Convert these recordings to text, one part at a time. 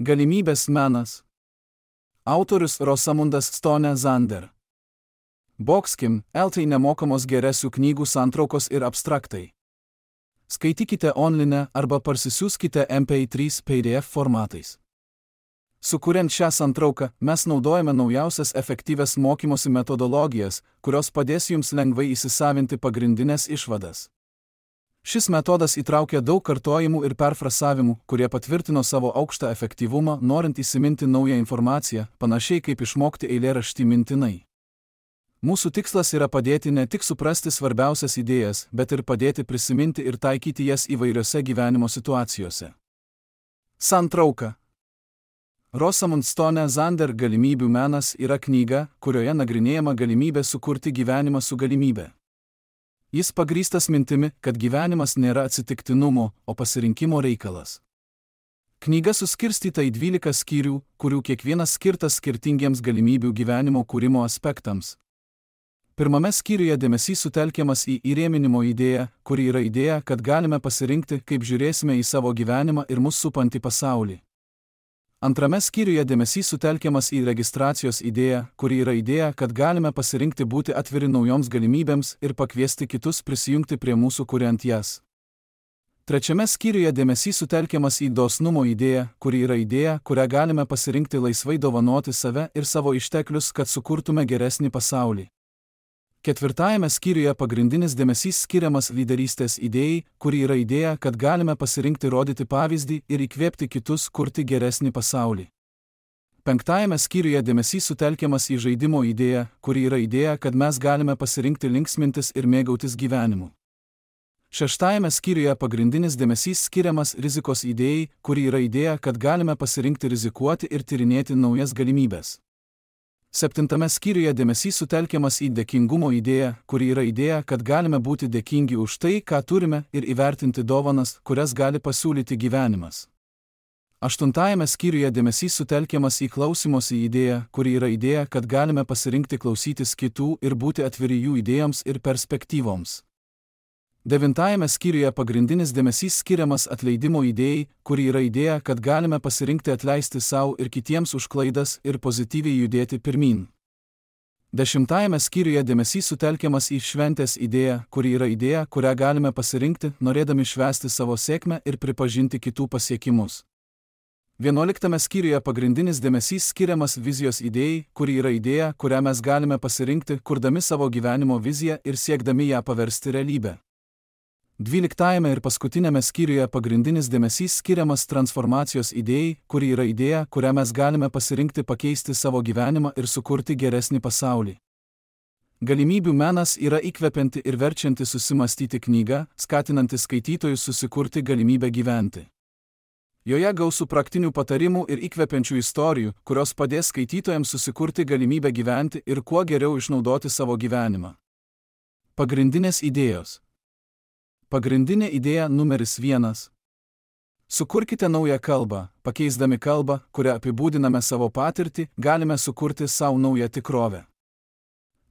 Galimybės menas. Autorius Rosamundas Stone Zander. Boxkim, LT nemokamos geresių knygų santraukos ir abstraktai. Skaitykite online arba parsisiųskite MP3 PDF formatais. Sukuriant šią santrauką, mes naudojame naujausias efektyvias mokymosi metodologijas, kurios padės jums lengvai įsisavinti pagrindinės išvadas. Šis metodas įtraukia daug kartojimų ir perfrasavimų, kurie patvirtino savo aukštą efektyvumą, norint įsiminti naują informaciją, panašiai kaip išmokti eilėraštį mintinai. Mūsų tikslas yra padėti ne tik suprasti svarbiausias idėjas, bet ir padėti prisiminti ir taikyti jas įvairiose gyvenimo situacijose. Santrauka. Rosamund Stone Zander Galimybių menas yra knyga, kurioje nagrinėjama galimybė sukurti gyvenimą su galimybė. Jis pagrįstas mintimi, kad gyvenimas nėra atsitiktinumo, o pasirinkimo reikalas. Knyga suskirstyta į 12 skyrių, kurių kiekvienas skirtas skirtingiems galimybių gyvenimo kūrimo aspektams. Pirmame skyriuje dėmesys sutelkiamas į įrėminimo idėją, kuri yra idėja, kad galime pasirinkti, kaip žiūrėsime į savo gyvenimą ir mus supantį pasaulį. Antrame skyriuje dėmesys sutelkiamas į registracijos idėją, kuri yra idėja, kad galime pasirinkti būti atviri naujoms galimybėms ir pakviesti kitus prisijungti prie mūsų kuriant jas. Trečiame skyriuje dėmesys sutelkiamas į dosnumo idėją, kuri yra idėja, kurią galime pasirinkti laisvai dovanoti save ir savo išteklius, kad sukurtume geresnį pasaulį. Ketvirtajame skyriuje pagrindinis dėmesys skiriamas lyderystės idėjai, kuri yra idėja, kad galime pasirinkti rodyti pavyzdį ir įkvėpti kitus kurti geresnį pasaulį. Penktajame skyriuje dėmesys sutelkiamas į žaidimo idėją, kuri yra idėja, kad mes galime pasirinkti linksmintis ir mėgautis gyvenimu. Šeštajame skyriuje pagrindinis dėmesys skiriamas rizikos idėjai, kuri yra idėja, kad galime pasirinkti rizikuoti ir tyrinėti naujas galimybės. Septintame skyriuje dėmesys sutelkiamas į dėkingumo idėją, kuri yra idėja, kad galime būti dėkingi už tai, ką turime, ir įvertinti dovanas, kurias gali pasiūlyti gyvenimas. Aštuntajame skyriuje dėmesys sutelkiamas į klausymosi idėją, kuri yra idėja, kad galime pasirinkti klausytis kitų ir būti atviri jų idėjoms ir perspektyvoms. Devintajame skyriuje pagrindinis dėmesys skiriamas atleidimo idėjai, kuri yra idėja, kad galime pasirinkti atleisti savo ir kitiems už klaidas ir pozityviai judėti pirmyn. Dešimtajame skyriuje dėmesys sutelkiamas į šventės idėją, kuri yra idėja, kurią galime pasirinkti, norėdami švęsti savo sėkmę ir pripažinti kitų pasiekimus. 11 skyriuje pagrindinis dėmesys skiriamas vizijos idėjai, kuri yra idėja, kurią mes galime pasirinkti, kurdami savo gyvenimo viziją ir siekdami ją paversti realybę. 12 ir paskutinėme skyriuje pagrindinis dėmesys skiriamas transformacijos idėjai, kuri yra idėja, kurią mes galime pasirinkti pakeisti savo gyvenimą ir sukurti geresnį pasaulį. Galimybių menas yra įkvepianti ir verčianti susimastyti knyga, skatinanti skaitytojus susikurti galimybę gyventi. Joje gausu praktinių patarimų ir įkvepiančių istorijų, kurios padės skaitytojams susikurti galimybę gyventi ir kuo geriau išnaudoti savo gyvenimą. Pagrindinės idėjos. Pagrindinė idėja numeris 1. Sukurkite naują kalbą. Pakeisdami kalbą, kurią apibūdiname savo patirtį, galime sukurti savo naują tikrovę.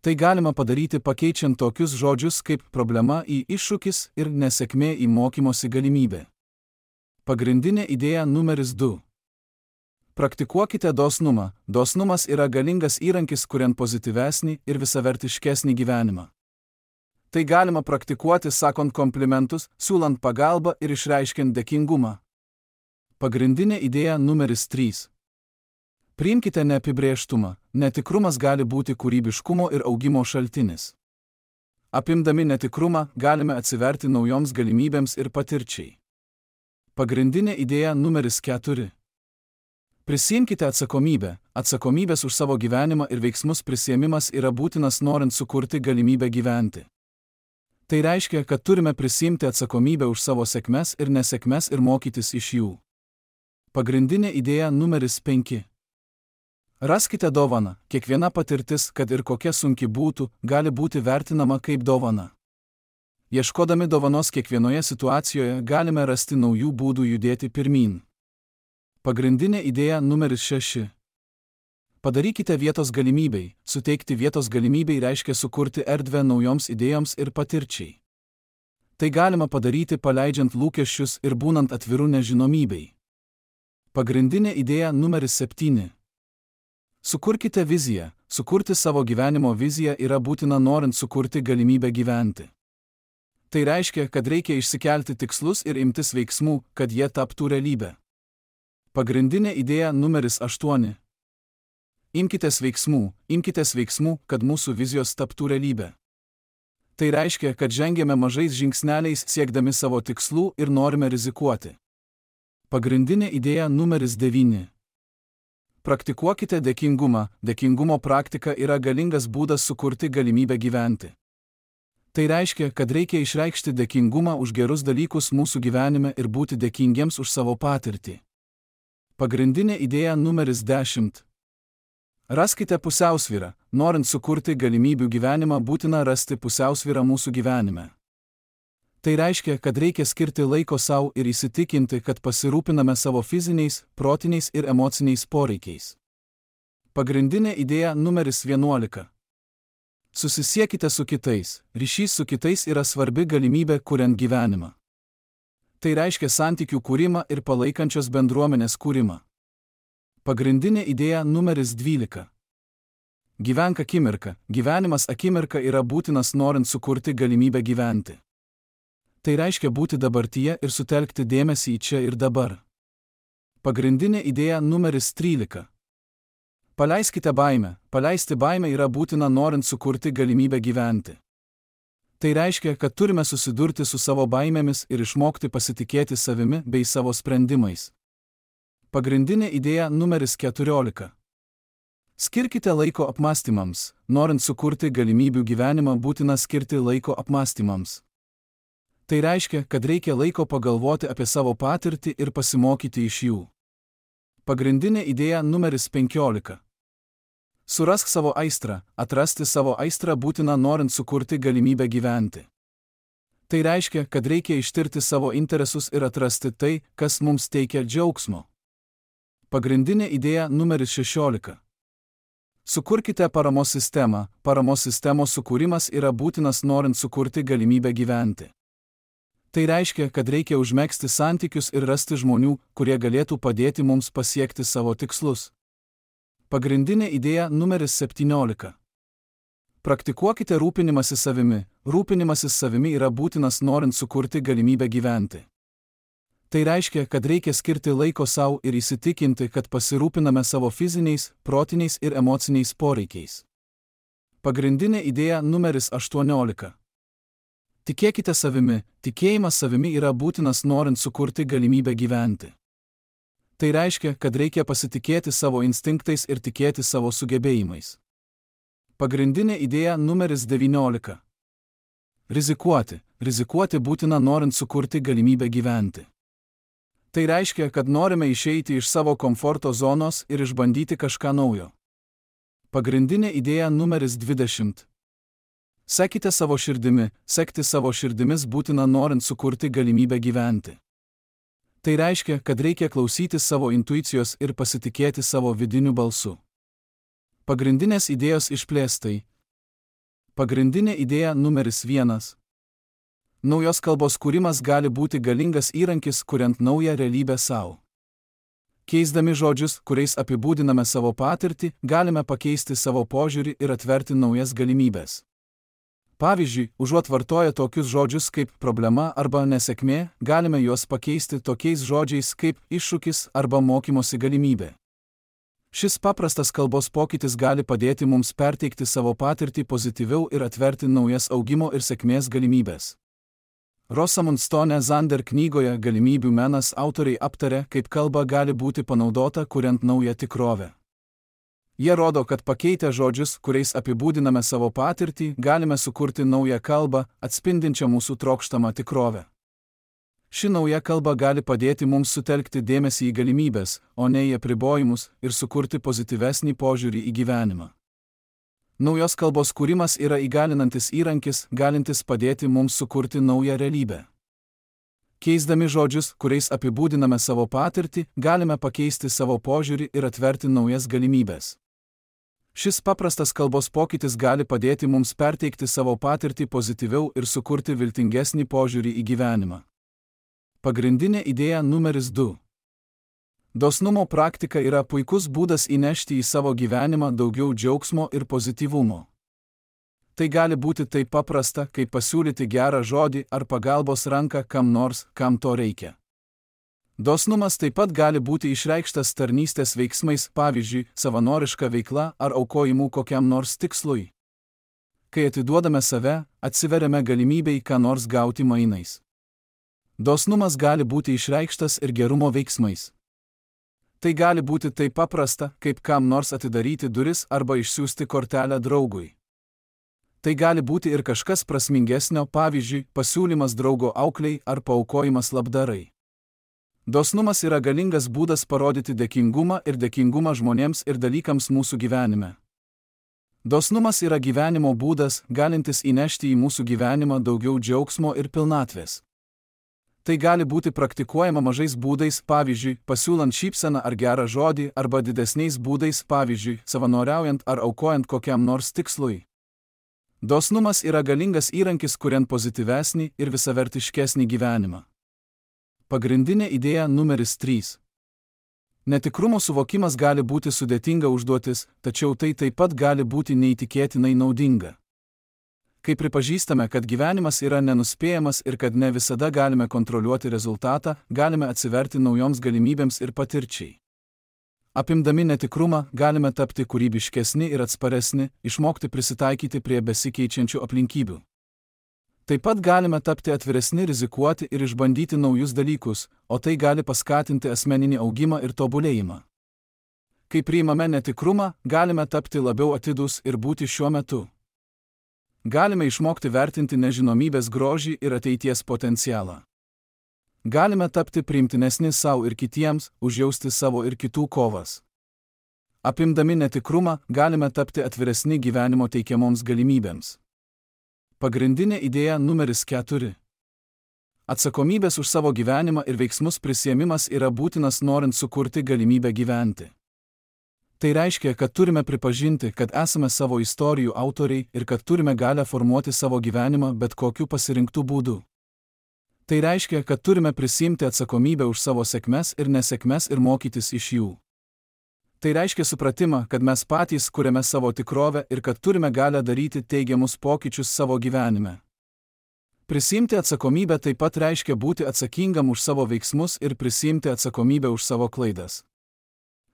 Tai galima padaryti pakeičiant tokius žodžius kaip problema į iššūkis ir nesėkmė į mokymosi galimybę. Pagrindinė idėja numeris 2. Praktikuokite dosnumą. Dosnumas yra galingas įrankis, kuriant pozityvesnį ir visavertiškesnį gyvenimą. Tai galima praktikuoti sakant komplimentus, siūlant pagalbą ir išreiškiant dėkingumą. Pagrindinė idėja numeris 3. Priimkite neapibrėžtumą. Netikrumas gali būti kūrybiškumo ir augimo šaltinis. Apimdami netikrumą, galime atsiverti naujoms galimybėms ir patirčiai. Pagrindinė idėja numeris 4. Prisiimkite atsakomybę. Atsakomybės už savo gyvenimą ir veiksmus prisiėmimas yra būtinas norint sukurti galimybę gyventi. Tai reiškia, kad turime prisiimti atsakomybę už savo sėkmes ir nesėkmes ir mokytis iš jų. Pagrindinė idėja numeris 5. Raskite dovaną. Kiekviena patirtis, kad ir kokia sunki būtų, gali būti vertinama kaip dovana. Ieškodami dovanos kiekvienoje situacijoje galime rasti naujų būdų judėti pirmyn. Pagrindinė idėja numeris 6. Padarykite vietos galimybei. Suteikti vietos galimybei reiškia sukurti erdvę naujoms idėjoms ir patirčiai. Tai galima padaryti paleidžiant lūkesčius ir būnant atviru nežinomybei. Pagrindinė idėja numeris 7. Sukurkite viziją. Sukurti savo gyvenimo viziją yra būtina norint sukurti galimybę gyventi. Tai reiškia, kad reikia išsikelti tikslus ir imtis veiksmų, kad jie taptų realybę. Pagrindinė idėja numeris 8. Imkitės veiksmų, kad mūsų vizijos taptų realybę. Tai reiškia, kad žengiame mažais žingsneliais siekdami savo tikslų ir norime rizikuoti. Pagrindinė idėja numeris 9. Praktikuokite dėkingumą. Dėkingumo praktika yra galingas būdas sukurti galimybę gyventi. Tai reiškia, kad reikia išreikšti dėkingumą už gerus dalykus mūsų gyvenime ir būti dėkingiems už savo patirtį. Pagrindinė idėja numeris 10. Raskite pusiausvyrą. Norint sukurti galimybių gyvenimą, būtina rasti pusiausvyrą mūsų gyvenime. Tai reiškia, kad reikia skirti laiko savo ir įsitikinti, kad pasirūpiname savo fiziniais, protiniais ir emociniais poreikiais. Pagrindinė idėja numeris 11. Susisiekite su kitais. Ryšys su kitais yra svarbi galimybė kuriant gyvenimą. Tai reiškia santykių kūrimą ir palaikančios bendruomenės kūrimą. Pagrindinė idėja numeris 12. Gyvenk akimirką. Gyvenimas akimirka yra būtinas norint sukurti galimybę gyventi. Tai reiškia būti dabartyje ir sutelkti dėmesį į čia ir dabar. Pagrindinė idėja numeris 13. Paleiskite baimę. Paleisti baimę yra būtina norint sukurti galimybę gyventi. Tai reiškia, kad turime susidurti su savo baimėmis ir išmokti pasitikėti savimi bei savo sprendimais. Pagrindinė idėja numeris 14. Skirkite laiko apmąstymams. Norint sukurti galimybių gyvenimą, būtina skirti laiko apmąstymams. Tai reiškia, kad reikia laiko pagalvoti apie savo patirtį ir pasimokyti iš jų. Pagrindinė idėja numeris 15. Surask savo aistrą. Atrasti savo aistrą būtina norint sukurti galimybę gyventi. Tai reiškia, kad reikia ištirti savo interesus ir atrasti tai, kas mums teikia džiaugsmo. Pagrindinė idėja numeris 16. Sukurkite paramos sistemą. Paramos sistemos sukūrimas yra būtinas norint sukurti galimybę gyventi. Tai reiškia, kad reikia užmegzti santykius ir rasti žmonių, kurie galėtų padėti mums pasiekti savo tikslus. Pagrindinė idėja numeris 17. Praktikuokite rūpinimąsi savimi. Rūpinimasis savimi yra būtinas norint sukurti galimybę gyventi. Tai reiškia, kad reikia skirti laiko savo ir įsitikinti, kad pasirūpiname savo fiziniais, protiniais ir emociniais poreikiais. Pagrindinė idėja numeris 18. Tikėkite savimi. Tikėjimas savimi yra būtinas norint sukurti galimybę gyventi. Tai reiškia, kad reikia pasitikėti savo instinktais ir tikėti savo sugebėjimais. Pagrindinė idėja numeris 19. Rizikuoti. Rizikuoti būtina norint sukurti galimybę gyventi. Tai reiškia, kad norime išeiti iš savo komforto zonos ir išbandyti kažką naujo. Pagrindinė idėja numeris 20. Sekite savo širdimi. Sekti savo širdimis būtina norint sukurti galimybę gyventi. Tai reiškia, kad reikia klausyti savo intuicijos ir pasitikėti savo vidiniu balsu. Pagrindinės idėjos išplėstai. Pagrindinė idėja numeris 1. Naujos kalbos kūrimas gali būti galingas įrankis, kuriant naują realybę savo. Keisdami žodžius, kuriais apibūdiname savo patirtį, galime pakeisti savo požiūrį ir atverti naujas galimybės. Pavyzdžiui, užuot vartoję tokius žodžius kaip problema arba nesėkmė, galime juos pakeisti tokiais žodžiais kaip iššūkis arba mokymosi galimybė. Šis paprastas kalbos pokytis gali padėti mums perteikti savo patirtį pozityviau ir atverti naujas augimo ir sėkmės galimybės. Rosamund Stone Zander knygoje Galimybių menas autoriai aptarė, kaip kalba gali būti panaudota kuriant naują tikrovę. Jie rodo, kad pakeitę žodžius, kuriais apibūdiname savo patirtį, galime sukurti naują kalbą, atspindinčią mūsų trokštamą tikrovę. Ši nauja kalba gali padėti mums sutelkti dėmesį į galimybės, o ne į apribojimus, ir sukurti pozityvesnį požiūrį į gyvenimą. Naujos kalbos kūrimas yra įgalinantis įrankis, galintis padėti mums sukurti naują realybę. Keisdami žodžius, kuriais apibūdiname savo patirtį, galime pakeisti savo požiūrį ir atverti naujas galimybės. Šis paprastas kalbos pokytis gali padėti mums perteikti savo patirtį pozityviau ir sukurti viltingesnį požiūrį į gyvenimą. Pagrindinė idėja numeris 2. Dosnumo praktika yra puikus būdas įnešti į savo gyvenimą daugiau džiaugsmo ir pozityvumo. Tai gali būti taip paprasta, kaip pasiūlyti gerą žodį ar pagalbos ranką kam nors, kam to reikia. Dosnumas taip pat gali būti išreikštas tarnystės veiksmais, pavyzdžiui, savanoriška veikla ar aukojimu kokiam nors tikslui. Kai atiduodame save, atsiveriame galimybei ką nors gauti mainais. Dosnumas gali būti išreikštas ir gerumo veiksmais. Tai gali būti taip paprasta, kaip kam nors atidaryti duris arba išsiųsti kortelę draugui. Tai gali būti ir kažkas prasmingesnio, pavyzdžiui, pasiūlymas draugo aukliai ar paaukojimas labdarai. Dosnumas yra galingas būdas parodyti dėkingumą žmonėms ir dalykams mūsų gyvenime. Dosnumas yra gyvenimo būdas, galintis įnešti į mūsų gyvenimą daugiau džiaugsmo ir pilnatvės. Tai gali būti praktikuojama mažais būdais, pavyzdžiui, pasiūlant šypseną ar gerą žodį, arba didesniais būdais, pavyzdžiui, savanoriaujant ar aukojant kokiam nors tikslui. Dosnumas yra galingas įrankis, kuriant pozityvesnį ir visavertiškesnį gyvenimą. Pagrindinė idėja numeris 3. Netikrumo suvokimas gali būti sudėtinga užduotis, tačiau tai taip pat gali būti neįtikėtinai naudinga. Kai pripažįstame, kad gyvenimas yra nenuspėjamas ir kad ne visada galime kontroliuoti rezultatą, galime atsiverti naujoms galimybėms ir patirčiai. Apimdami netikrumą, galime tapti kūrybiškesni ir atsparesni, išmokti prisitaikyti prie besikeičiančių aplinkybių. Taip pat galime tapti atviresni rizikuoti ir išbandyti naujus dalykus, o tai gali paskatinti asmeninį augimą ir tobulėjimą. Kai priimame netikrumą, galime tapti labiau atidūs ir būti šiuo metu. Galime išmokti vertinti nežinomybės grožį ir ateities potencialą. Galime tapti priimtinesni savo ir kitiems, užjausti savo ir kitų kovas. Apimdami netikrumą, galime tapti atviresni gyvenimo teikiamoms galimybėms. Pagrindinė idėja numeris 4. Atsakomybės už savo gyvenimą ir veiksmus prisiėmimas yra būtinas norint sukurti galimybę gyventi. Tai reiškia, kad turime pripažinti, kad esame savo istorijų autoriai ir kad turime galią formuoti savo gyvenimą bet kokiu pasirinktų būdu. Tai reiškia, kad turime prisiimti atsakomybę už savo sėkmes ir nesėkmes ir mokytis iš jų. Tai reiškia supratimą, kad mes patys kuriame savo tikrovę ir kad turime galią daryti teigiamus pokyčius savo gyvenime. Prisiimti atsakomybę taip pat reiškia būti atsakingam už savo veiksmus ir prisiimti atsakomybę už savo klaidas.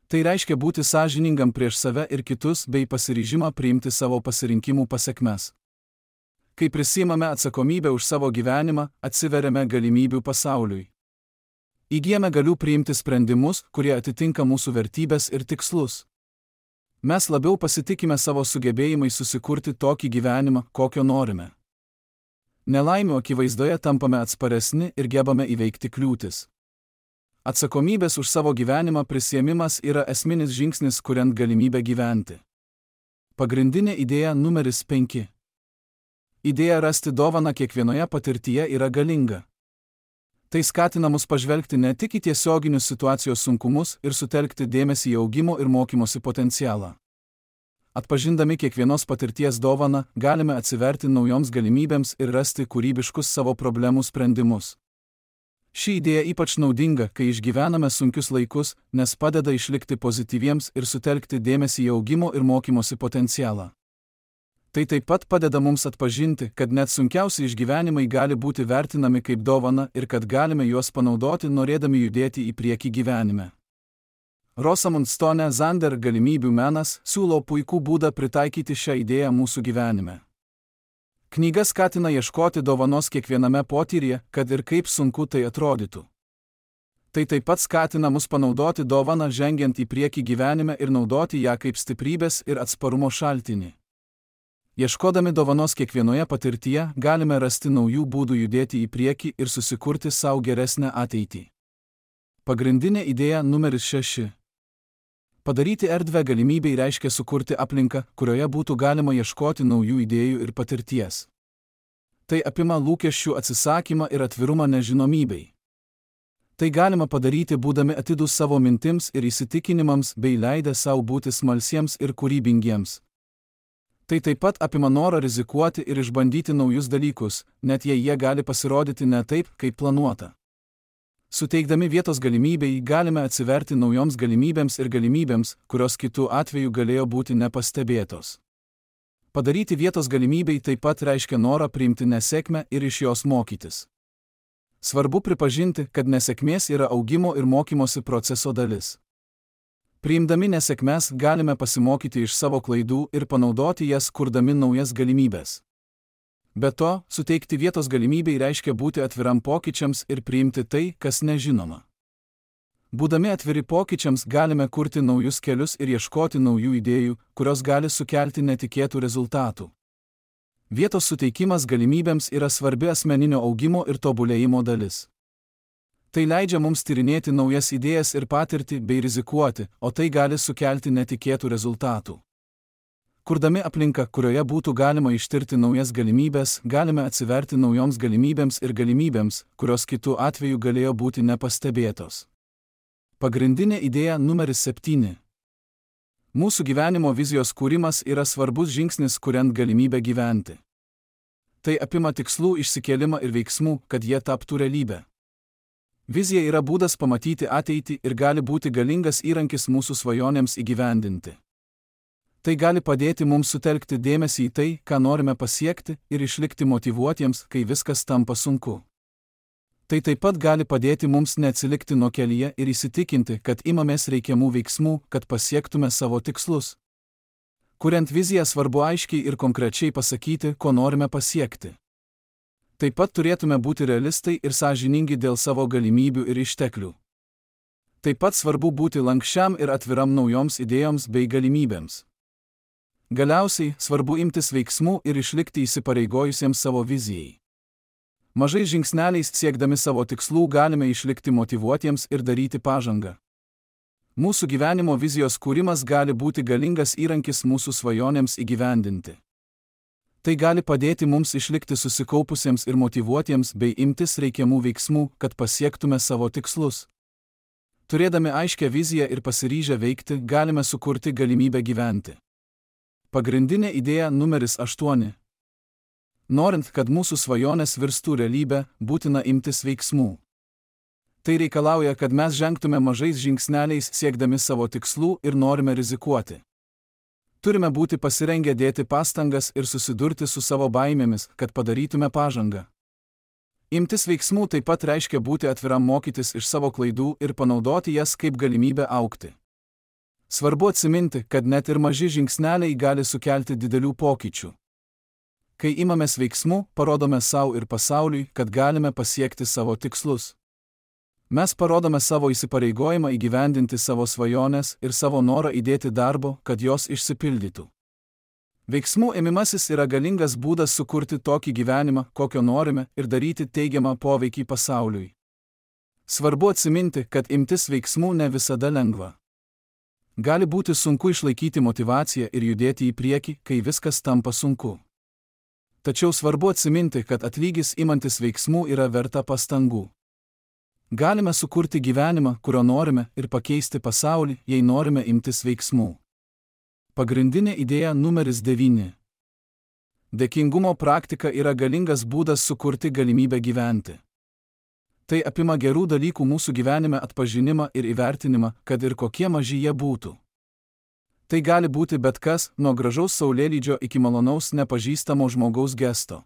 Tai reiškia būti sąžiningam prieš save ir kitus bei pasiryžimą priimti savo pasirinkimų pasekmes. Kai prisiimame atsakomybę už savo gyvenimą, atsiveriame galimybių pasauliui. Įgyjame galių priimti sprendimus, kurie atitinka mūsų vertybės ir tikslus. Mes labiau pasitikime savo sugebėjimais susikurti tokį gyvenimą, kokio norime. Nelaimių akivaizdoje tampame atsparesni ir gebame įveikti kliūtis. Atsakomybės už savo gyvenimą prisiėmimas yra esminis žingsnis, kuriant galimybę gyventi. Pagrindinė idėja numeris 5. Idėja rasti dovaną kiekvienoje patirtyje yra galinga. Tai skatina mus pažvelgti ne tik į tiesioginius situacijos sunkumus ir sutelkti dėmesį į augimo ir mokymosi potencialą. Atpažindami kiekvienos patirties dovaną, galime atsiverti naujoms galimybėms ir rasti kūrybiškus savo problemų sprendimus. Ši idėja ypač naudinga, kai išgyvename sunkius laikus, nes padeda išlikti pozityviems ir sutelkti dėmesį į augimo ir mokymosi potencialą. Tai taip pat padeda mums atpažinti, kad net sunkiausi išgyvenimai gali būti vertinami kaip dovana ir kad galime juos panaudoti norėdami judėti į priekį gyvenime. Rosamund Stone Zander galimybių menas siūlo puikų būdą pritaikyti šią idėją mūsų gyvenime. Knyga skatina ieškoti dovanos kiekviename potyryje, kad ir kaip sunku tai atrodytų. Tai taip pat skatina mus panaudoti dovaną žengiant į priekį gyvenime ir naudoti ją kaip stiprybės ir atsparumo šaltinį. Ieškodami dovanos kiekvienoje patirtyje, galime rasti naujų būdų judėti į priekį ir susikurti savo geresnę ateitį. Pagrindinė idėja numeris 6. Padaryti erdvę galimybei reiškia sukurti aplinką, kurioje būtų galima ieškoti naujų idėjų ir patirties. Tai apima lūkesčių atsisakymą ir atvirumą nežinomybei. Tai galima padaryti būdami atidūs savo mintims ir įsitikinimams bei leidę savo būti smalsiems ir kūrybingiems. Tai taip pat apima norą rizikuoti ir išbandyti naujus dalykus, net jei jie gali pasirodyti ne taip, kaip planuota. Suteikdami vietos galimybei galime atsiverti naujoms galimybėms ir galimybėms, kurios kitų atveju galėjo būti nepastebėtos. Padaryti vietos galimybei taip pat reiškia norą priimti nesėkmę ir iš jos mokytis. Svarbu pripažinti, kad nesėkmės yra augimo ir mokymosi proceso dalis. Priimdami nesėkmes galime pasimokyti iš savo klaidų ir panaudoti jas, kurdami naujas galimybės. Be to, suteikti vietos galimybei reiškia būti atviram pokyčiams ir priimti tai, kas nežinoma. Būdami atviri pokyčiams galime kurti naujus kelius ir ieškoti naujų idėjų, kurios gali sukelti netikėtų rezultatų. Vietos suteikimas galimybėms yra svarbi asmeninio augimo ir tobulėjimo dalis. Tai leidžia mums tyrinėti naujas idėjas ir patirtį bei rizikuoti, o tai gali sukelti netikėtų rezultatų. Kurdami aplinką, kurioje būtų galima ištirti naujas galimybės, galime atsiverti naujoms galimybėms ir galimybėms, kurios kitų atveju galėjo būti nepastebėtos. Pagrindinė idėja numeris 7. Mūsų gyvenimo vizijos kūrimas yra svarbus žingsnis, kuriant galimybę gyventi. Tai apima tikslų išsikėlimą ir veiksmų, kad jie taptų realybę. Vizija yra būdas pamatyti ateitį ir gali būti galingas įrankis mūsų svajonėms įgyvendinti. Tai gali padėti mums sutelkti dėmesį į tai, ką norime pasiekti, ir išlikti motyvuotiems, kai viskas tampa sunku. Tai taip pat gali padėti mums neatsilikti nuo kelyje ir įsitikinti, kad imamės reikiamų veiksmų, kad pasiektume savo tikslus. Kuriant viziją svarbu aiškiai ir konkrečiai pasakyti, ko norime pasiekti. Taip pat turėtume būti realistai ir sąžiningi dėl savo galimybių ir išteklių. Taip pat svarbu būti lankščiam ir atviram naujoms idėjoms bei galimybėms. Galiausiai, svarbu imtis veiksmų ir išlikti įsipareigojusiems savo vizijai. Mažais žingsneliais siekdami savo tikslų galime išlikti motyvuotiems ir daryti pažangą. Mūsų gyvenimo vizijos kūrimas gali būti galingas įrankis mūsų svajonėms įgyvendinti. Tai gali padėti mums išlikti susikaupusiems ir motyvuotiems bei imtis reikiamų veiksmų, kad pasiektume savo tikslus. Turėdami aiškią viziją ir pasiryžę veikti, galime sukurti galimybę gyventi. Pagrindinė idėja numeris 8. Norint, kad mūsų svajonės virstų realybę, būtina imtis veiksmų. Tai reikalauja, kad mes žengtume mažais žingsneliais siekdami savo tikslų ir norime rizikuoti. Turime būti pasirengę dėti pastangas ir susidurti su savo baimėmis, kad padarytume pažangą. Imtis veiksmų taip pat reiškia būti atviram mokytis iš savo klaidų ir panaudoti jas kaip galimybę augti. Svarbu atsiminti, kad net ir maži žingsneliai gali sukelti didelių pokyčių. Kai imamės veiksmų, parodome savo ir pasauliui, kad galime pasiekti savo tikslus. Mes parodome savo įsipareigojimą įgyvendinti savo svajonės ir savo norą įdėti darbo, kad jos išsipildytų. Veiksmų ėmimasis yra galingas būdas sukurti tokį gyvenimą, kokio norime, ir daryti teigiamą poveikį pasauliui. Svarbu atsiminti, kad imtis veiksmų ne visada lengva. Gali būti sunku išlaikyti motyvaciją ir judėti į priekį, kai viskas tampa sunku. Tačiau svarbu atsiminti, kad atlygis imantis veiksmų yra verta pastangų. Galime sukurti gyvenimą, kurio norime, ir pakeisti pasaulį, jei norime imtis veiksmų. Pagrindinė idėja numeris 9. Dėkingumo praktika yra galingas būdas sukurti galimybę gyventi. Tai apima gerų dalykų mūsų gyvenime atpažinimą ir įvertinimą, kad ir kokie maži jie būtų. Tai gali būti bet kas, nuo gražaus saulėlydžio iki malonaus nepažįstamo žmogaus gesto.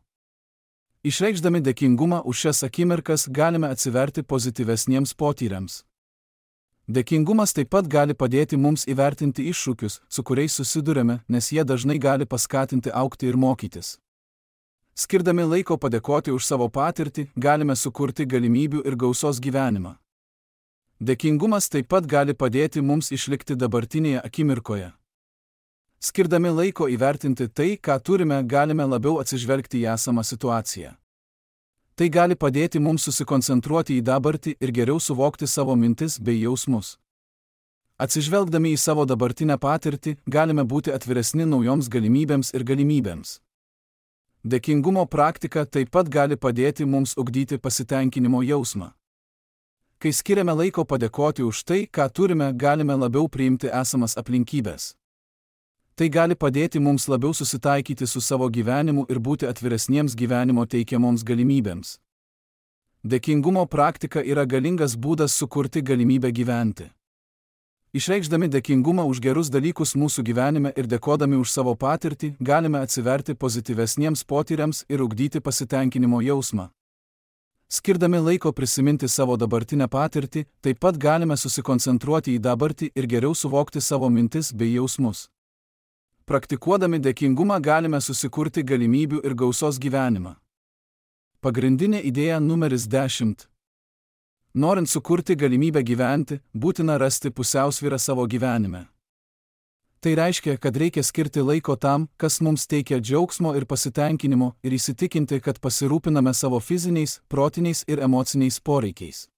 Išreikšdami dėkingumą už šias akimirkas galime atsiverti pozityvesniems potyriams. Dėkingumas taip pat gali padėti mums įvertinti iššūkius, su kuriais susidurėme, nes jie dažnai gali paskatinti augti ir mokytis. Skirdami laiko padėkoti už savo patirtį, galime sukurti galimybių ir gausos gyvenimą. Dėkingumas taip pat gali padėti mums išlikti dabartinėje akimirkoje. Skirdami laiko įvertinti tai, ką turime, galime labiau atsižvelgti į esamą situaciją. Tai gali padėti mums susikoncentruoti į dabartį ir geriau suvokti savo mintis bei jausmus. Atsižvelgdami į savo dabartinę patirtį, galime būti atviresni naujoms galimybėms ir galimybėms. Dėkingumo praktika taip pat gali padėti mums ugdyti pasitenkinimo jausmą. Kai skiriame laiko padėkoti už tai, ką turime, galime labiau priimti esamas aplinkybės. Tai gali padėti mums labiau susitaikyti su savo gyvenimu ir būti atviresniems gyvenimo teikiamoms galimybėms. Dėkingumo praktika yra galingas būdas sukurti galimybę gyventi. Išreikšdami dėkingumą už gerus dalykus mūsų gyvenime ir dėkodami už savo patirtį, galime atsiverti pozityvesniems potyriams ir ugdyti pasitenkinimo jausmą. Skirdami laiko prisiminti savo dabartinę patirtį, taip pat galime susikoncentruoti į dabartį ir geriau suvokti savo mintis bei jausmus. Praktikuodami dėkingumą galime susikurti galimybių ir gausos gyvenimą. Pagrindinė idėja numeris 10. Norint sukurti galimybę gyventi, būtina rasti pusiausvyrą savo gyvenime. Tai reiškia, kad reikia skirti laiko tam, kas mums teikia džiaugsmo ir pasitenkinimo, ir įsitikinti, kad pasirūpiname savo fiziniais, protiniais ir emociniais poreikiais.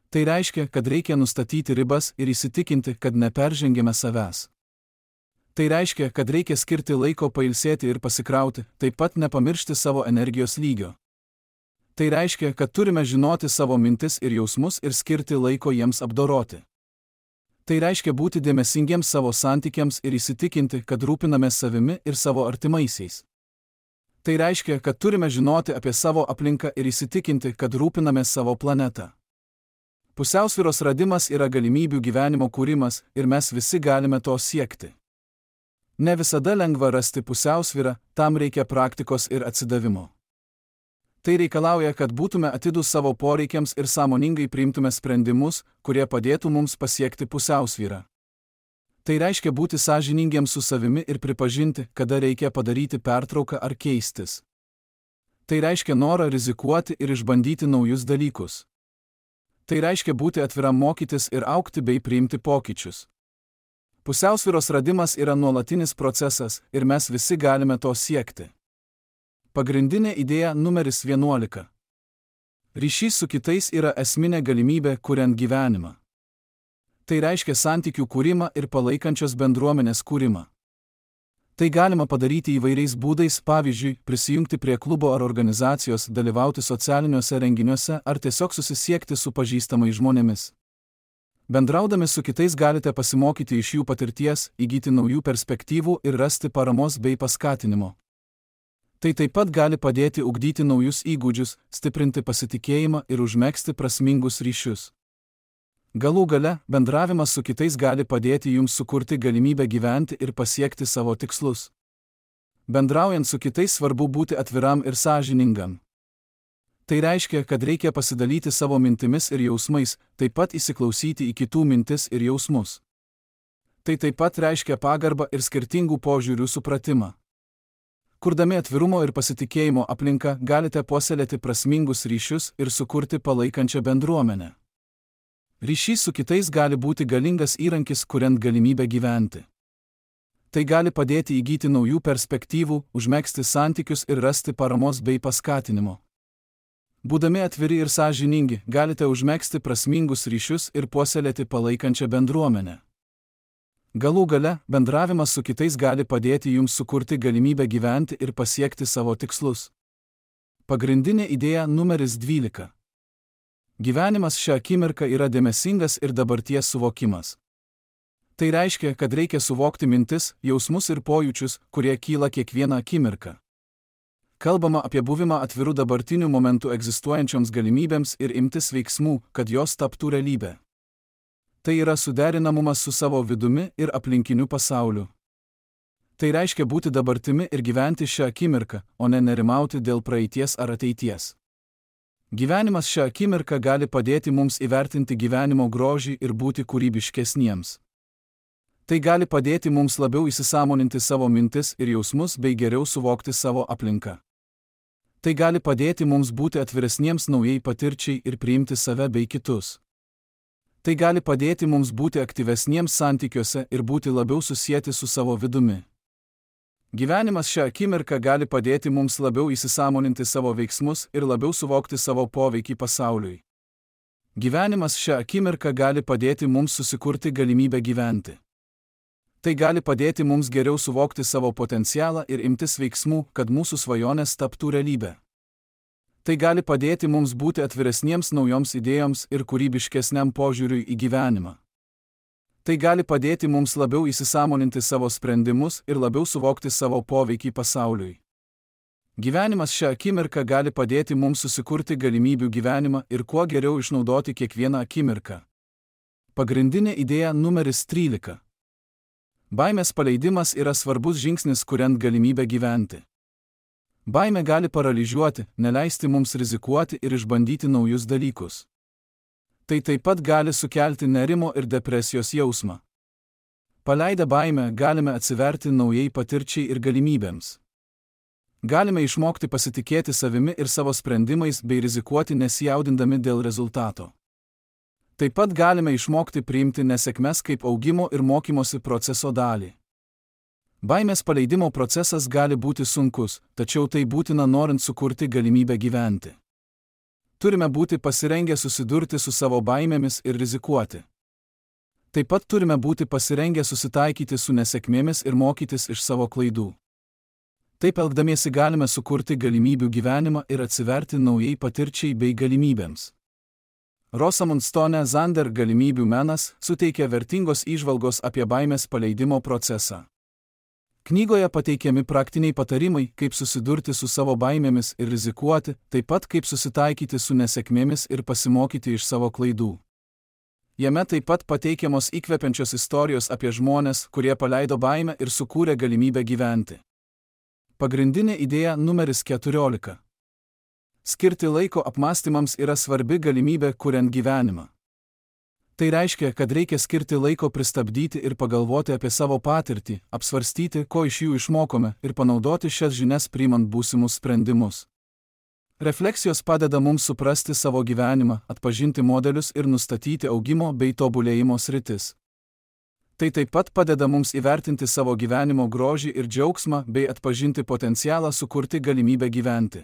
Tai reiškia, kad reikia nustatyti ribas ir įsitikinti, kad neperžengėme savęs. Tai reiškia, kad reikia skirti laiko pailsėti ir pasikrauti, taip pat nepamiršti savo energijos lygio. Tai reiškia, kad turime žinoti savo mintis ir jausmus ir skirti laiko jiems apdoroti. Tai reiškia būti dėmesingiems savo santykiams ir įsitikinti, kad rūpinamės savimi ir savo artimaisiais. Tai reiškia, kad turime žinoti apie savo aplinką ir įsitikinti, kad rūpinamės savo planetą. Pusiausvyros radimas yra galimybių gyvenimo kūrimas ir mes visi galime to siekti. Ne visada lengva rasti pusiausvyrą, tam reikia praktikos ir atsidavimo. Tai reikalauja, kad būtume atidūs savo poreikiams ir sąmoningai priimtume sprendimus, kurie padėtų mums pasiekti pusiausvyrą. Tai reiškia būti sąžiningiems su savimi ir pripažinti, kada reikia padaryti pertrauką ar keistis. Tai reiškia norą rizikuoti ir išbandyti naujus dalykus. Tai reiškia būti atviram mokytis ir augti bei priimti pokyčius. Pusiausvyros radimas yra nuolatinis procesas ir mes visi galime to siekti. Pagrindinė idėja numeris 11. Ryšys su kitais yra esminė galimybė kuriant gyvenimą. Tai reiškia santykių kūrimą ir palaikančios bendruomenės kūrimą. Tai galima padaryti įvairiais būdais, pavyzdžiui, prisijungti prie klubo ar organizacijos, dalyvauti socialiniuose renginiuose ar tiesiog susisiekti su pažįstamais žmonėmis. Bendraudami su kitais galite pasimokyti iš jų patirties, įgyti naujų perspektyvų ir rasti paramos bei paskatinimo. Tai taip pat gali padėti ugdyti naujus įgūdžius, stiprinti pasitikėjimą ir užmegzti prasmingus ryšius. Galų gale, bendravimas su kitais gali padėti jums sukurti galimybę gyventi ir pasiekti savo tikslus. Bendraujant su kitais svarbu būti atviram ir sąžiningam. Tai reiškia, kad reikia pasidalyti savo mintimis ir jausmais, taip pat įsiklausyti į kitų mintis ir jausmus. Tai taip pat reiškia pagarbą ir skirtingų požiūrių supratimą. Kurdami atvirumo ir pasitikėjimo aplinką, galite puoselėti prasmingus ryšius ir sukurti palaikančią bendruomenę. Ryšys su kitais gali būti galingas įrankis, kuriant galimybę gyventi. Tai gali padėti įgyti naujų perspektyvų, užmegzti santykius ir rasti paramos bei paskatinimo. Būdami atviri ir sąžiningi, galite užmegzti prasmingus ryšius ir puoselėti palaikančią bendruomenę. Galų gale, bendravimas su kitais gali padėti jums sukurti galimybę gyventi ir pasiekti savo tikslus. Pagrindinė idėja numeris 12. Gyvenimas šią akimirką yra dėmesingas ir dabarties suvokimas. Tai reiškia, kad reikia suvokti mintis, jausmus ir pojūčius, kurie kyla kiekvieną akimirką. Kalbama apie buvimą atvirų dabartinių momentų egzistuojančioms galimybėms ir imtis veiksmų, kad jos taptų realybė. Tai yra suderinamumas su savo vidumi ir aplinkiniu pasauliu. Tai reiškia būti dabartimi ir gyventi šią akimirką, o ne nerimauti dėl praeities ar ateities. Gyvenimas šią akimirką gali padėti mums įvertinti gyvenimo grožį ir būti kūrybiškesniems. Tai gali padėti mums labiau įsisąmoninti savo mintis ir jausmus bei geriau suvokti savo aplinką. Tai gali padėti mums būti atviresniems naujai patirčiai ir priimti save bei kitus. Tai gali padėti mums būti aktyvesniems santykiuose ir būti labiau susieti su savo vidumi. Gyvenimas šią akimirką gali padėti mums labiau įsisąmoninti savo veiksmus ir labiau suvokti savo poveikį pasauliui. Gyvenimas šią akimirką gali padėti mums susikurti galimybę gyventi. Tai gali padėti mums geriau suvokti savo potencialą ir imtis veiksmų, kad mūsų svajonės taptų realybę. Tai gali padėti mums būti atviresniems naujoms idėjoms ir kūrybiškesniam požiūriui į gyvenimą. Tai gali padėti mums labiau įsisąmoninti savo sprendimus ir labiau suvokti savo poveikį pasauliui. Gyvenimas šią akimirką gali padėti mums susikurti galimybių gyvenimą ir kuo geriau išnaudoti kiekvieną akimirką. Pagrindinė idėja numeris 13. Baimės paleidimas yra svarbus žingsnis, kuriant galimybę gyventi. Baimė gali paralyžiuoti, neleisti mums rizikuoti ir išbandyti naujus dalykus. Tai taip pat gali sukelti nerimo ir depresijos jausmą. Paleidę baimę galime atsiverti naujai patirčiai ir galimybėms. Galime išmokti pasitikėti savimi ir savo sprendimais bei rizikuoti nesijaudindami dėl rezultato. Taip pat galime išmokti priimti nesėkmes kaip augimo ir mokymosi proceso dalį. Baimės paleidimo procesas gali būti sunkus, tačiau tai būtina norint sukurti galimybę gyventi. Turime būti pasirengę susidurti su savo baimėmis ir rizikuoti. Taip pat turime būti pasirengę susitaikyti su nesėkmėmis ir mokytis iš savo klaidų. Taip elgdamiesi galime sukurti galimybių gyvenimą ir atsiverti naujai patirčiai bei galimybėms. Rosamund Stone Zander Galimybių menas suteikia vertingos įžvalgos apie baimės paleidimo procesą. Knygoje pateikiami praktiniai patarimai, kaip susidurti su savo baimėmis ir rizikuoti, taip pat kaip susitaikyti su nesėkmėmis ir pasimokyti iš savo klaidų. Jame taip pat pateikiamos įkvepiančios istorijos apie žmones, kurie paleido baimę ir sukūrė galimybę gyventi. Pagrindinė idėja numeris 14. Skirti laiko apmąstymams yra svarbi galimybė kuriant gyvenimą. Tai reiškia, kad reikia skirti laiko pristabdyti ir pagalvoti apie savo patirtį, apsvarstyti, ko iš jų išmokome ir panaudoti šias žinias priimant būsimus sprendimus. Refleksijos padeda mums suprasti savo gyvenimą, atpažinti modelius ir nustatyti augimo bei tobulėjimo sritis. Tai taip pat padeda mums įvertinti savo gyvenimo grožį ir džiaugsmą bei atpažinti potencialą sukurti galimybę gyventi.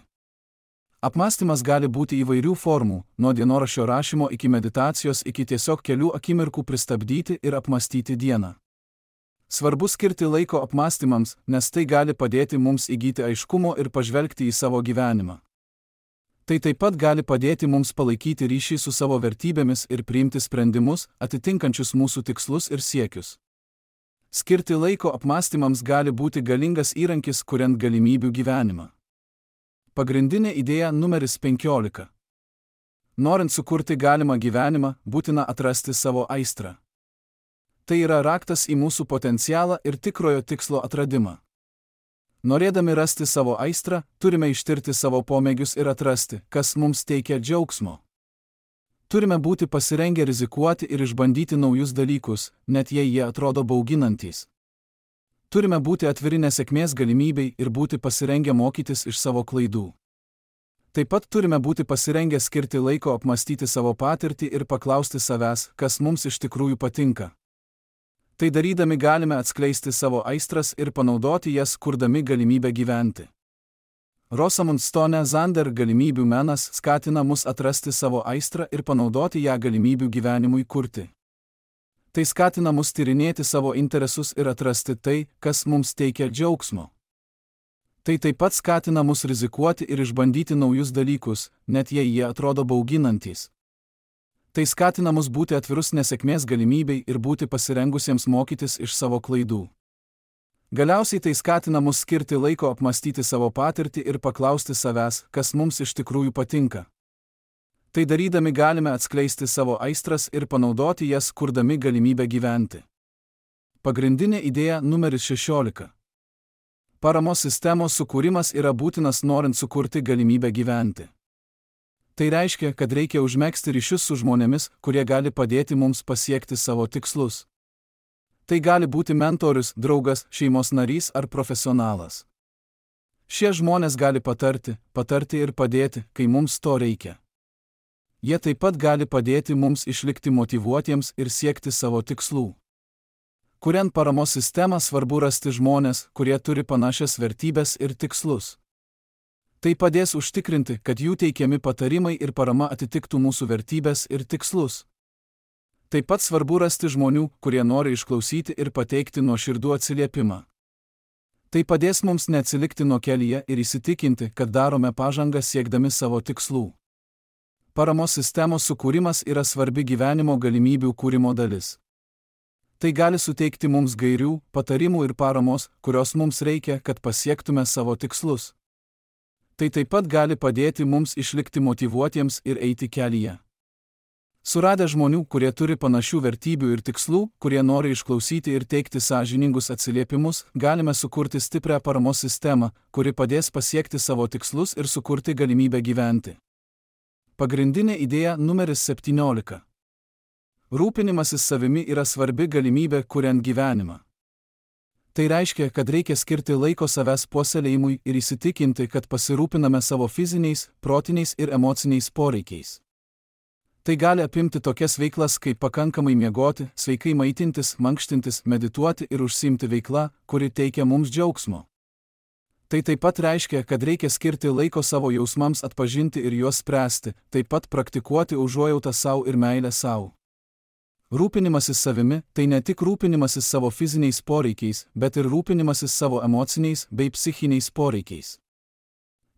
Apmąstymas gali būti įvairių formų, nuo dienoraščio rašymo iki meditacijos iki tiesiog kelių akimirkų pristabdyti ir apmąstyti dieną. Svarbu skirti laiko apmąstymams, nes tai gali padėti mums įgyti aiškumo ir pažvelgti į savo gyvenimą. Tai taip pat gali padėti mums palaikyti ryšį su savo vertybėmis ir priimti sprendimus, atitinkančius mūsų tikslus ir siekius. Skirti laiko apmąstymams gali būti galingas įrankis, kuriant galimybių gyvenimą. Pagrindinė idėja numeris 15. Norint sukurti galimą gyvenimą, būtina atrasti savo aistrą. Tai yra raktas į mūsų potencialą ir tikrojo tikslo atradimą. Norėdami rasti savo aistrą, turime ištirti savo pomėgius ir atrasti, kas mums teikia džiaugsmo. Turime būti pasirengę rizikuoti ir išbandyti naujus dalykus, net jei jie atrodo bauginantys. Turime būti atviri nesėkmės galimybei ir būti pasirengę mokytis iš savo klaidų. Taip pat turime būti pasirengę skirti laiko apmąstyti savo patirtį ir paklausti savęs, kas mums iš tikrųjų patinka. Tai darydami galime atskleisti savo aistras ir panaudoti jas, kurdami galimybę gyventi. Rosamund Stone Zander Galimybių menas skatina mus atrasti savo aistrą ir panaudoti ją galimybių gyvenimui kurti. Tai skatina mus tyrinėti savo interesus ir atrasti tai, kas mums teikia džiaugsmo. Tai taip pat skatina mus rizikuoti ir išbandyti naujus dalykus, net jei jie atrodo bauginantys. Tai skatina mus būti atvirus nesėkmės galimybei ir būti pasirengusiems mokytis iš savo klaidų. Galiausiai tai skatina mus skirti laiko apmąstyti savo patirtį ir paklausti savęs, kas mums iš tikrųjų patinka. Tai darydami galime atskleisti savo aistras ir panaudoti jas, kurdami galimybę gyventi. Pagrindinė idėja numeris 16. Paramos sistemos sukūrimas yra būtinas norint sukurti galimybę gyventi. Tai reiškia, kad reikia užmegzti ryšius su žmonėmis, kurie gali padėti mums pasiekti savo tikslus. Tai gali būti mentorius, draugas, šeimos narys ar profesionalas. Šie žmonės gali patarti ir padėti, kai mums to reikia. Jie taip pat gali padėti mums išlikti motyvuotiems ir siekti savo tikslų. Kuriant paramos sistemą, svarbu rasti žmonės, kurie turi panašias vertybės ir tikslus. Tai padės užtikrinti, kad jų teikiami patarimai ir parama atitiktų mūsų vertybės ir tikslus. Taip pat svarbu rasti žmonių, kurie nori išklausyti ir pateikti nuoširdų atsiliepimą. Tai padės mums neatsilikti nuo kelyje ir įsitikinti, kad darome pažangą siekdami savo tikslų. Paramos sistemos sukūrimas yra svarbi gyvenimo galimybių kūrimo dalis. Tai gali suteikti mums gairių, patarimų ir paramos, kurios mums reikia, kad pasiektume savo tikslus. Tai taip pat gali padėti mums išlikti motyvuotiems ir eiti kelyje. Suradę žmonių, kurie turi panašių vertybių ir tikslų, kurie nori išklausyti ir teikti sąžiningus atsiliepimus, galime sukurti stiprią paramos sistemą, kuri padės pasiekti savo tikslus ir sukurti galimybę gyventi. Pagrindinė idėja numeris 17. Rūpinimasis savimi yra svarbi galimybė kuriant gyvenimą. Tai reiškia, kad reikia skirti laiko savęs puoselėjimui ir įsitikinti, kad pasirūpiname savo fiziniais, protiniais ir emociniais poreikiais. Tai gali apimti tokias veiklas kaip pakankamai miegoti, sveikai maitintis, mankštintis, medituoti ir užsiimti veikla, kuri teikia mums džiaugsmo. Tai taip pat reiškia, kad reikia skirti laiko savo jausmams atpažinti ir juos spręsti, taip pat praktikuoti užuojautą savo ir meilę savo. Rūpinimasis savimi – tai ne tik rūpinimasis savo fiziniais poreikiais, bet ir rūpinimasis savo emociniais bei psichiniais poreikiais.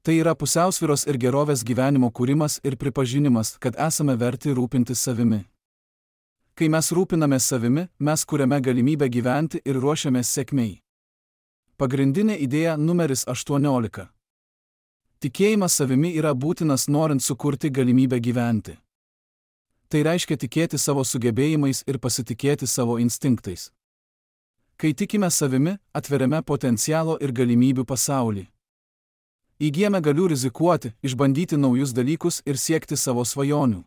Tai yra pusiausvyros ir gerovės gyvenimo kūrimas ir pripažinimas, kad esame verti rūpintis savimi. Kai mes rūpinamės savimi, mes kuriame galimybę gyventi ir ruošiamės sėkmei. Pagrindinė idėja numeris 18. Tikėjimas savimi yra būtinas norint sukurti galimybę gyventi. Tai reiškia tikėti savo sugebėjimais ir pasitikėti savo instinktais. Kai tikime savimi, atveriame potencialo ir galimybių pasaulį. Įgyjame galių rizikuoti, išbandyti naujus dalykus ir siekti savo svajonių.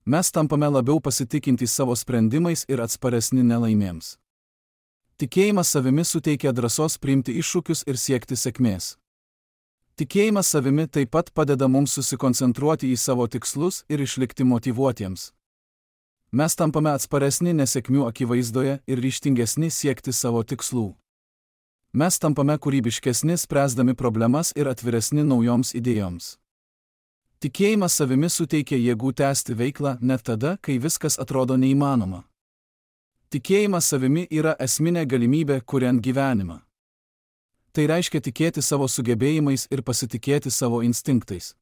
Mes tampame labiau pasitikintys savo sprendimais ir atsparesni nelaimėms. Tikėjimas savimi suteikia drąsos priimti iššūkius ir siekti sėkmės. Tikėjimas savimi taip pat padeda mums susikoncentruoti į savo tikslus ir išlikti motyvuotiems. Mes tampame atsparesni nesėkmių akivaizdoje ir ryžtingesni siekti savo tikslų. Mes tampame kūrybiškesni spręsdami problemas ir atviresni naujoms idėjoms. Tikėjimas savimi suteikia jėgų tęsti veiklą net tada, kai viskas atrodo neįmanoma. Tikėjimas savimi yra esminė galimybė kuriant gyvenimą. Tai reiškia tikėti savo sugebėjimais ir pasitikėti savo instinktais.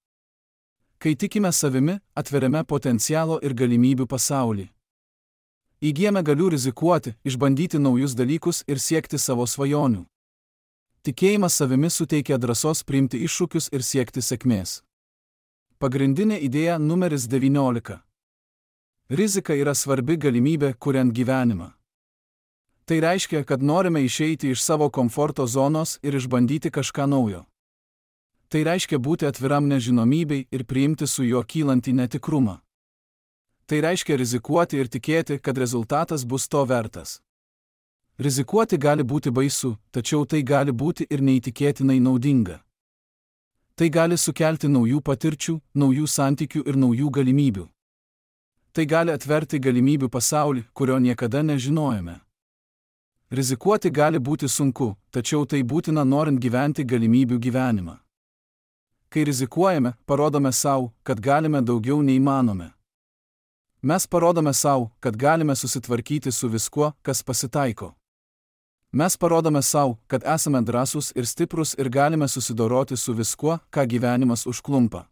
Kai tikime savimi, atveriame potencialo ir galimybių pasaulį. Įgyjame galių rizikuoti, išbandyti naujus dalykus ir siekti savo svajonių. Tikėjimas savimi suteikia drąsos priimti iššūkius ir siekti sėkmės. Pagrindinė idėja numeris 19. Rizika yra svarbi galimybė kuriant gyvenimą. Tai reiškia, kad norime išeiti iš savo komforto zonos ir išbandyti kažką naujo. Tai reiškia būti atviram nežinomybei ir priimti su juo kylantį netikrumą. Tai reiškia rizikuoti ir tikėti, kad rezultatas bus to vertas. Rizikuoti gali būti baisu, tačiau tai gali būti ir neįtikėtinai naudinga. Tai gali sukelti naujų patirčių, naujų santykių ir naujų galimybių. Tai gali atverti galimybių pasaulį, kurio niekada nežinojome. Rizikuoti gali būti sunku, tačiau tai būtina norint gyventi galimybių gyvenimą. Kai rizikuojame, parodome savo, kad galime daugiau nei manome. Mes parodome savo, kad galime susitvarkyti su viskuo, kas pasitaiko. Mes parodome savo, kad esame drąsūs ir stiprus ir galime susidoroti su viskuo, ką gyvenimas užklumpa.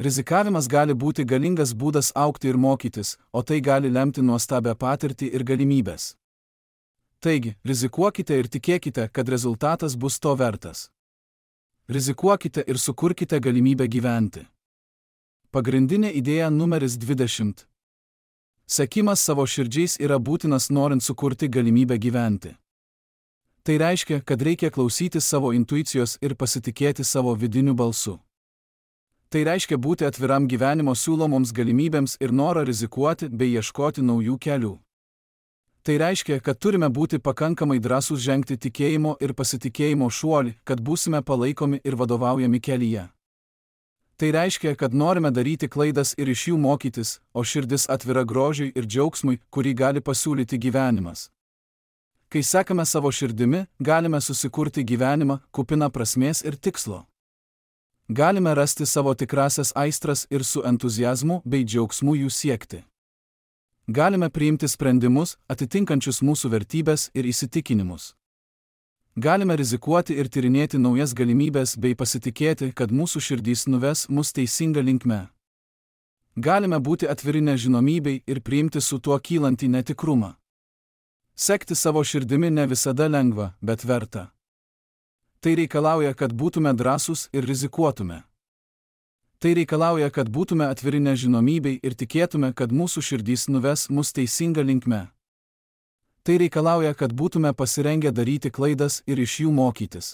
Rizikavimas gali būti galingas būdas augti ir mokytis, o tai gali lemti nuostabią patirtį ir galimybės. Taigi, rizikuokite ir tikėkite, kad rezultatas bus to vertas. Rizikuokite ir sukurkite galimybę gyventi. Pagrindinė idėja numeris 20. Sekimas savo širdžiais yra būtinas norint sukurti galimybę gyventi. Tai reiškia, kad reikia klausyti savo intuicijos ir pasitikėti savo vidiniu balsu. Tai reiškia būti atviram gyvenimo siūlomoms galimybėms ir norą rizikuoti bei ieškoti naujų kelių. Tai reiškia, kad turime būti pakankamai drąsūs žengti tikėjimo ir pasitikėjimo šuolį, kad būsime palaikomi ir vadovaujami kelyje. Tai reiškia, kad norime daryti klaidas ir iš jų mokytis, o širdis atvira grožiui ir džiaugsmui, kurį gali pasiūlyti gyvenimas. Kai sekame savo širdimi, galime susikurti gyvenimą, kupiną prasmės ir tikslo. Galime rasti savo tikrasias aistras ir su entuziazmu bei džiaugsmu jų siekti. Galime priimti sprendimus, atitinkančius mūsų vertybės ir įsitikinimus. Galime rizikuoti ir tyrinėti naujas galimybės bei pasitikėti, kad mūsų širdys nuves mus teisinga linkme. Galime būti atviri nežinomybei ir priimti su tuo kylantį netikrumą. Sekti savo širdimi ne visada lengva, bet verta. Tai reikalauja, kad būtume drąsūs ir rizikuotume. Tai reikalauja, kad būtume atviri nežinomybei ir tikėtume, kad mūsų širdys nuves mus teisinga linkme. Tai reikalauja, kad būtume pasirengę daryti klaidas ir iš jų mokytis.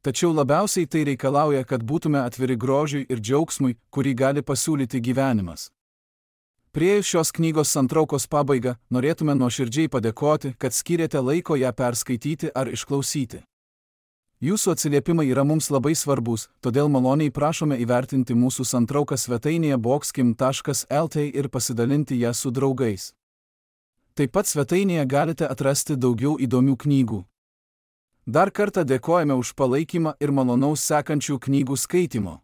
Tačiau labiausiai tai reikalauja, kad būtume atviri grožiui ir džiaugsmui, kurį gali pasiūlyti gyvenimas. Priėjus šios knygos santraukos pabaigą, norėtume nuoširdžiai padėkoti, kad skyrėte laiko ją perskaityti ar išklausyti. Jūsų atsiliepimai yra mums labai svarbus, todėl maloniai prašome įvertinti mūsų santrauką svetainėje boxkim.lt ir pasidalinti ją su draugais. Taip pat svetainėje galite atrasti daugiau įdomių knygų. Dar kartą dėkojame už palaikymą ir malonaus sekančių knygų skaitymo.